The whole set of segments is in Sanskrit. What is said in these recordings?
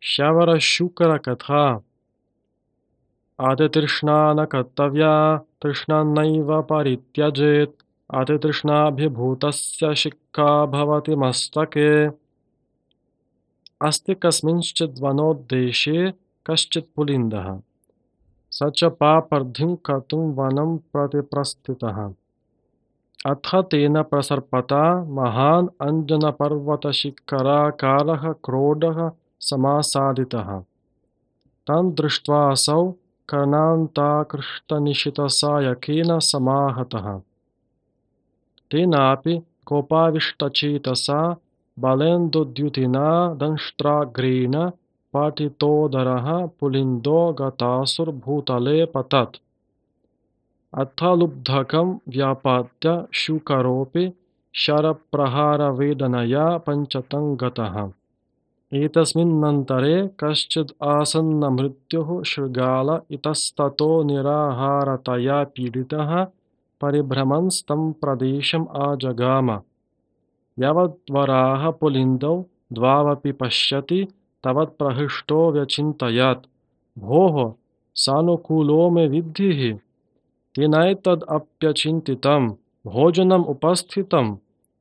शवरशुकरकथा अतितृष्णा न कर्तव्या तृष्णा नैव परित्यजेत् अतितृष्णाभिभूतस्य शिक्षा भवति मस्तके। अस्ति कस्मिंश्चिद् वनोद्देशे कश्चित् पुलिन्दः स च पापर्द्धिं कर्तुं वनं प्रति प्रस्थितः। अथ तेन प्रसर्पता महान् अञ्जनपर्वतशिखराकारः क्रोडः समासादितः। तं दृष्ट्वासौ कर्णान्ताकृष्टनिशितसायकेन समाहतः। तेनापि कोपाविष्टचेतसा बलेन्दुद्युतिना दंष्ट्राग्रेण पाटितोदरः पुलिन्दो गतासुर्भूतले पतत्। अथ लुब्धकं व्यापाद्य शूकरोऽपि शरप्रहारवेदनया पञ्चतं गतः। एतस्मिन्नन्तरे कश्चिद् आसन्नमृत्युः शृगाल इतस्ततो निराहारतया पीडितः परिभ्रमन्स्तं प्रदेशम् आजगाम। यावद्वराह पुलिन्दौ द्वावपि पश्यति तावत्प्रहृष्टो व्यचिन्तयत्, भोः सानुकूलो मे विद्धिः। तेनैतदप्यचिन्तितं भोजनम् उपस्थितं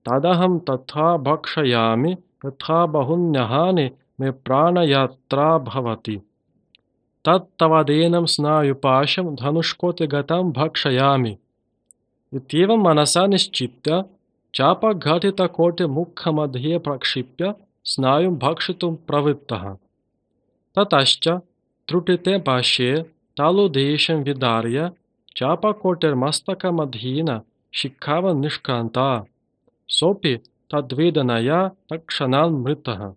तदहं तथा भक्षयामि यथा बहुन्यहानि मे प्राणयात्रा भवति। तत्तवदेनं स्नायुपाशं धनुष्कोटिगतं भक्षयामि। इत्येवं मनसा निश्चित्य चापघटितकोटिमुखमध्ये प्रक्षिप्य स्नायुं भक्षितुं प्रवृत्तः। ततश्च त्रुटिते पार्श्वे तालुदेशं विदार्य चापकोटिर्मस्तकमध्येन शिखावन्निष्क्रान्ता। सोऽपि तद्वेदनया तत्क्षणान्मृतः।